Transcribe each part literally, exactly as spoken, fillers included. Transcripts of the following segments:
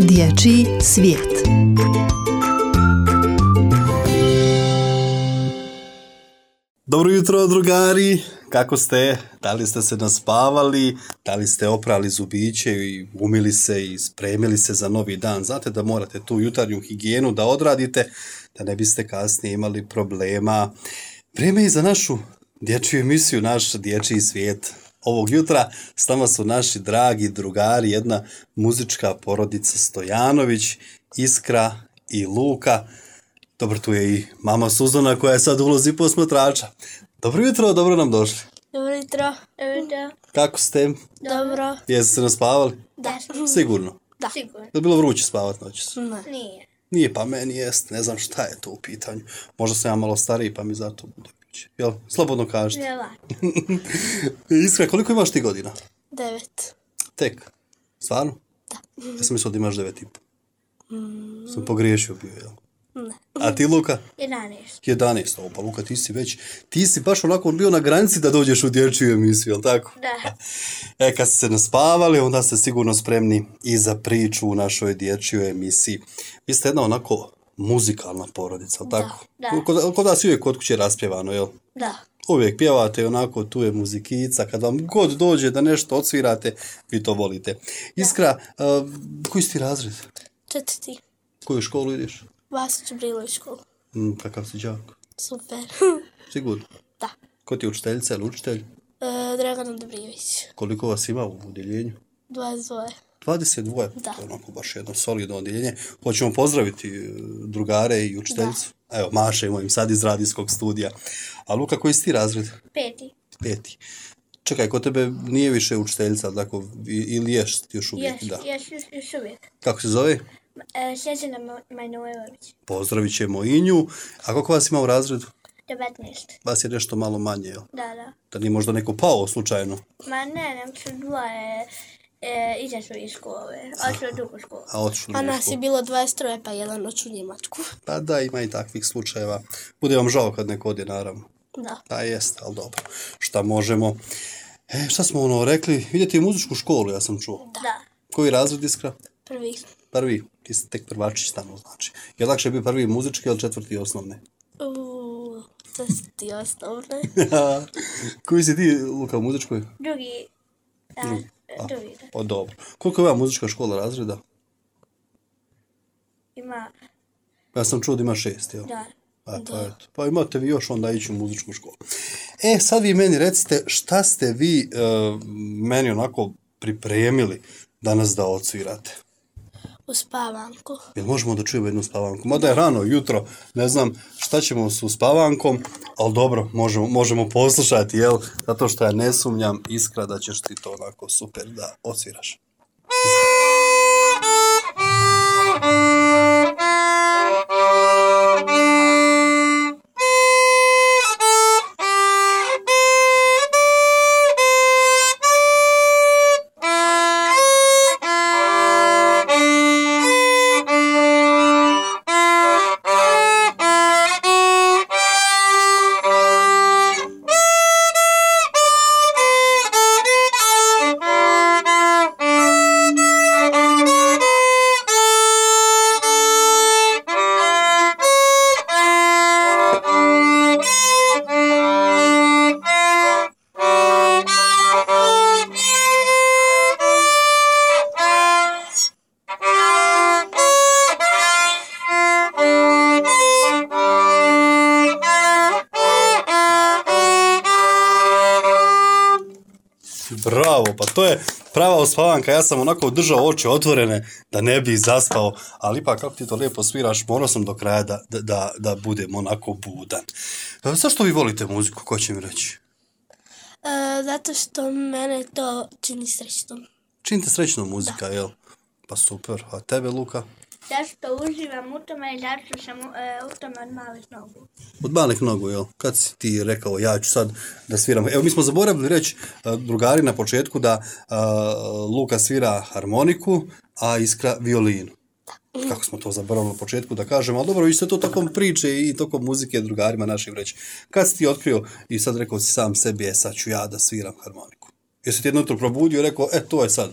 Dječji svijet. Dobro jutro, drugari, kako ste? Da li ste se naspavali, da li ste oprali zubiće i umili se i spremili se za novi dan? Znate da morate tu jutarnju higijenu da odradite, da ne biste kasnije imali problema. Vrijeme je za našu dječju emisiju, naš dječji svijet. Ovog jutra s nama su naši dragi drugari, jedna muzička porodica Stojanović, Iskra i Luka. Dobro, tu je i mama Suzana koja je sad u ulozi posmatrača. Dobro jutro, dobro nam došli. Dobro jutro. Dobro jutro. Kako ste? Dobro. Jeste se naspavali? Da. Sigurno. Da. Sigurno. Je bilo vruće spavat noćas? Ne. Nije. Nije, pa meni jest. Ne znam šta je to u pitanju. Možda sam ja malo stariji pa mi zato bude vruće. Jel? Slobodno kažete. Jela. Iskra, koliko imaš ti godina? Devet. Tek. Stvarno? Da. Ja sam mislio da imaš devet i po. Mm. Sam pogriješio bio, jel? Ne. A ti, Luka? Jedanaest. jedanaest. O, pa Luka, ti si već, ti si baš onako bio na granici da dođeš u dječju emisiju, jel tako? Da. E, kad ste se naspavali, onda ste sigurno spremni i za priču u našoj dječjoj emisiji. Vi ste jedna onako muzikalna porodica, jel tako? Da. Kod, kod vas uvijek kod kuće raspjevano, jel? Da. Uvijek pjevate onako, tu je muzikica, kad vam god dođe da nešto odsvirate, vi to volite. Iskra, uh, koji si ti razred? Četvrti. Koju školu ideš? Vasić Brilović školu. Mm, kakav si đak? Super. Sigurno? Da. Ko ti je učiteljica ili učitelj? E, Dragana Dobrijević. Koliko vas ima u odjeljenju? dvadeset dva. dvadeset dva? Da. To je onako baš jedno solidno odjeljenje. Hoćemo pozdraviti e, drugare i učiteljicu. Da. Evo, mašemo im sad iz radijskog studija. A Luka, koji si ti razred? Peti. Peti. Čekaj, kod tebe nije više učiteljica, tako, ili ješ ti još uvijek? Ješ, Da. ješ, još, još uvijek. Kako se zove? E, Sjećana Majnojević. Pozdravit ćemo i nju. A koliko vas ima u razredu? devetnaest. Vas je nešto malo manje, jel? Da, da. Da nije možda neko pao slučajno? Ma ne, nam su dvoje e, izašli iz škole. Ošli u drugu školu. A otišli u A drugu nas je školu. bilo dvadeset tri, pa jedan oču Njemačku. Pa da, ima i takvih slučajeva. Bude vam žao kad neko odje, naravno. Da. Da, jest, ali dobro. Šta možemo? E, šta smo ono rekli? Idete u muzičku školu, ja sam čuo. Da. Koji razred, Iskra? Prvi. Prvi. Ti si tek prvačić tamo, znači. Je lakše bio prvi muzički ili četvrti osnovne? Uuu, četvrti osnovne. Koji si ti, Luka, u muzičkoj? Drugi. Da, Drugi. A, drugi, da. pa dobro. Koliko ima muzička škola razreda? Ima, Ja sam čuo da ima šest, jel? da. A, pa, eto. Pa imate vi još onda ići u muzičku školu. E, sad vi meni recite šta ste vi uh, meni onako pripremili danas da odsvirate. U spavanku. Jel možemo da čujemo jednu spavanku? Mada je rano, jutro, ne znam šta ćemo s uspavankom, ali dobro, možemo, možemo poslušati, jel? Zato što ja ne sumnjam, Iskra, da ćeš ti to onako super da odsviraš. Bravo, pa to je prava uspavanka, ja sam onako držao oči otvorene da ne bi zaspao, ali ipak kako ti to lijepo sviraš, morao sam do kraja da, da, da, da budem onako budan. E, zašto vi volite muziku, ko će mi reći? E, zato što mene to čini srećnom. Čini te srećno muzika, jel? Pa super, a tebe, Luka? Zašto uživam u tome i zato sam e, u tome od malih nogu. Od malih nogu, jel? Kad si ti rekao, ja ću sad da sviram. Evo, mi smo zaboravili reći uh, drugari na početku da uh, Luka svira harmoniku, a Iskra violinu. Kako smo to zaboravili na početku da kažemo, ali dobro, vi ste to tokom priče i tokom muzike drugarima našim reći. Kad si ti otkrio i sad rekao si sam sebi, e sad ću ja da sviram harmoniku. Jesi ti jedno jutro probudio i rekao, e to je sad?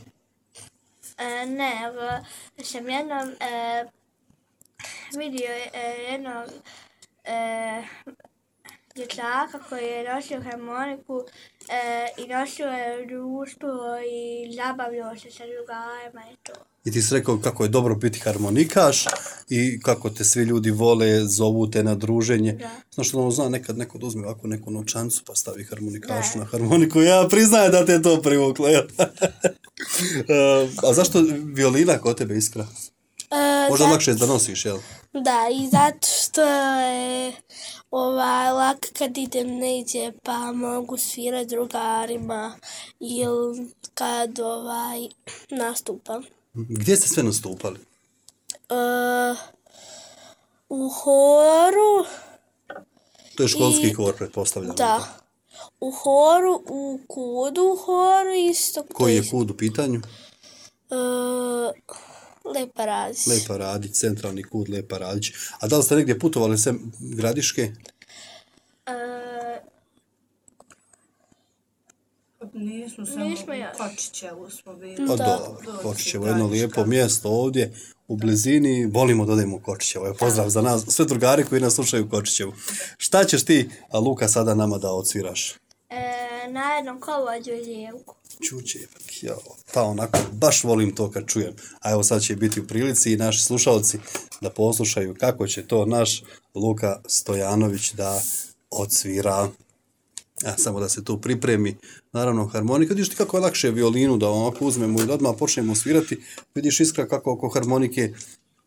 E, ne, evo, sam jednom e, vidio e, jednog e, dječaka koji je nosio harmoniku e, i nosio je u društvu i zabavljao se sa drugarima i to. I ti si rekao kako je dobro biti harmonikaš i kako te svi ljudi vole, zovu te na druženje. Da. Znaš što ono zna, nekad neko da uzme ovako neku novčancu pa stavi harmonikašu na harmoniku. Ja priznajem da te je to privuklo. Ja. A zašto violina kod tebe Iskra? E, Možda zato- lakše da nosiš, jel? Da, i zato što je ovaj, lak kad idem negdje pa mogu svirati drugarima ili kad ovaj, nastupam. Gdje ste sve nastupali? E, u horu, To je školski I- hor, pretpostavljam. da. U horu, u kudu u horu isto. Koji je kud u pitanju? E, Lepa Radić. Lepa Radić, centralni kud Lepa Radić. A da li ste negdje putovali sem Gradiške? E, Nismo samo Nismo još. u Kočićevu smo bili. Pa Da. dobro, Kočićevo, jedno lijepo mjesto ovdje u blizini. Volimo da odemo u Kočićevo. Evo, pozdrav za nas, sve drugari koji nas slušaju u Kočićevu. Šta ćeš ti, a Luka, sada nama da odsviraš? e, na jednom kolovođu i lijevku. Čučevak, jao, pa onako, baš volim to kad čujem. A evo sad će biti u prilici i naši slušalci da poslušaju kako će to naš Luka Stojanović da odsvira. A, samo da se tu pripremi. Naravno, harmonika. Vidiš ti kako je lakše violinu da onako uzmemo i da odmah počnemo svirati. Vidiš Iskra kako oko harmonike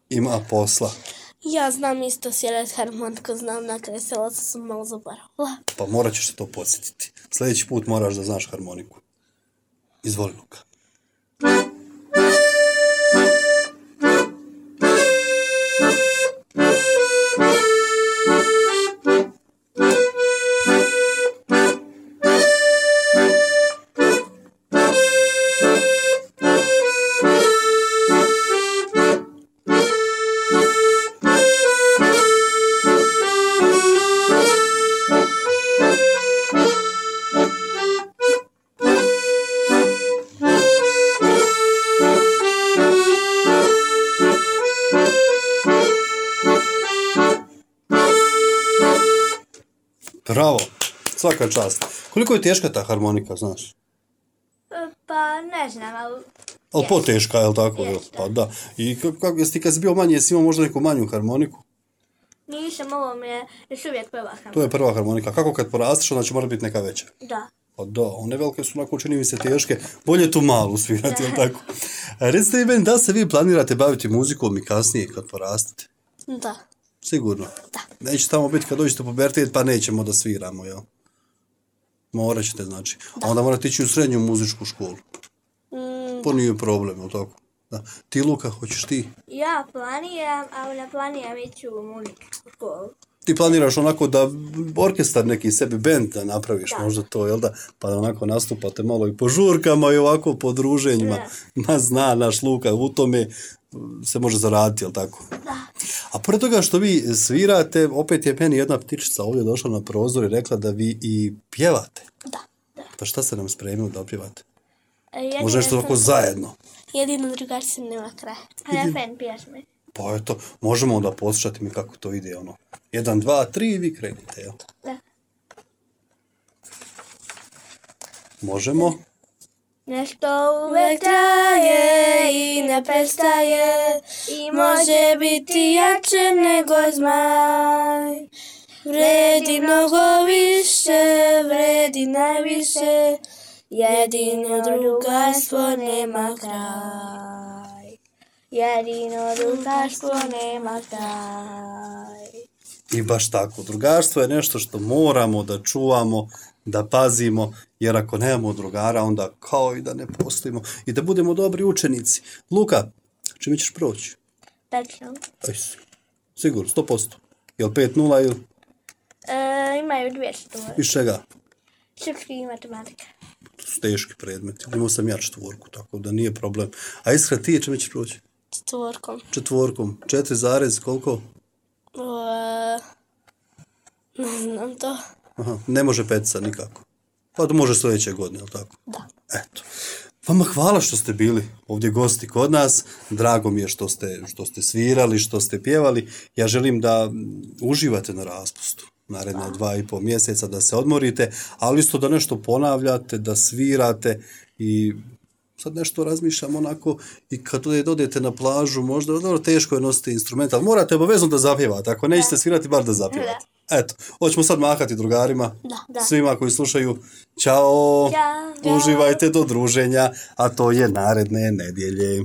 ima posla. Ja znam isto svirati harmoniku, znam na kraju sela sam malo zaboravila. Pa morat ćeš se to podsjetiti. Sljedeći put moraš da znaš harmoniku. Izvoli, Luka. Bravo, svaka čast. Koliko je teška ta harmonika, znaš? E, pa ne znam, ali Ali poteška, je li tako? Jeste. Pa da. I kako, kako, jesi ti kad si bio manji, jesi imao možda neku manju harmoniku? nisam, ovo mi je još uvijek prva harmonika. To je prva harmonika. Kako kad porasteš, onda će mora biti neka veća? Da. Pa da, one velike su onako, čini mi se, teške. Bolje tu malu svirati, jel tako? A recite mi meni, da se vi planirate baviti muzikom i kasnije kad porastete? Da. Sigurno? Da. Neće tamo biti kad dođete u pubertet, pa nećemo da sviramo, jel? Morat ćete, znači. A onda morate ići u srednju muzičku školu. Mm, To nije problem, jel tako? Da. Ti, Luka, hoćeš ti? Ja planiram, ali ne planiram ići u muzičku školu. Ti planiraš onako da orkestar neki sebi bend da napraviš, Da. možda to, jel da? Pa da onako nastupate malo i po žurkama i ovako po druženjima. Ma zna naš Luka, u tome se može zaraditi, jel tako? Da. A pored toga što vi svirate, opet je meni jedna ptičica ovdje došla na prozor i rekla da vi i pjevate. da. Pa šta ste nam spremili da opjevate? E, jedino Može nešto sam- ovako zajedno. Jedino drugar se nema kraja. Refren pjesme. Pa eto, možemo onda poslušati mi kako to ide, ono. Jedan, dva, tri i vi krenite, jel? Da. Možemo? Nešto uvek traje i ne prestaje i može biti jače nego zmaj. Vredi mnogo više, vredi najviše, jedino drugarstvo nema kraj. Jedino drugarstvo nema kraj. I baš tako, drugarstvo je nešto što moramo da čuvamo, da pazimo, jer ako nemamo drugara, onda kao i da ne postojimo i da budemo dobri učenici. Luka, čime ćeš proći? Tačno. Aj, sigurno, sto posto. Jel pet nula ili E, imaju dvije stvari. iz čega? Srpski i matematika. To su teški predmeti. Imao sam ja četvorku, tako da nije problem. A Iskra, ti čime ćeš proći? Četvorkom. Četvorkom. Četiri zarez, koliko? E, ne znam to. Aha, ne može petica nikako. Pa to može sljedeće godine, jel tako? Da. Eto. Vama hvala što ste bili ovdje gosti kod nas. Drago mi je što ste, što ste svirali, što ste pjevali. Ja želim da uživate na raspustu naredna dva i pol mjeseca, da se odmorite, ali isto da nešto ponavljate, da svirate i sad nešto razmišljam onako i kad odete na plažu, možda dobro, teško je nositi instrument, ali morate obavezno da zapjevate. Ako nećete svirati, bar da zapjevate. Eto, hoćemo sad mahati drugarima, Da. svima koji slušaju. Ćao, Ćao. uživajte do druženja, a to je naredne nedjelje.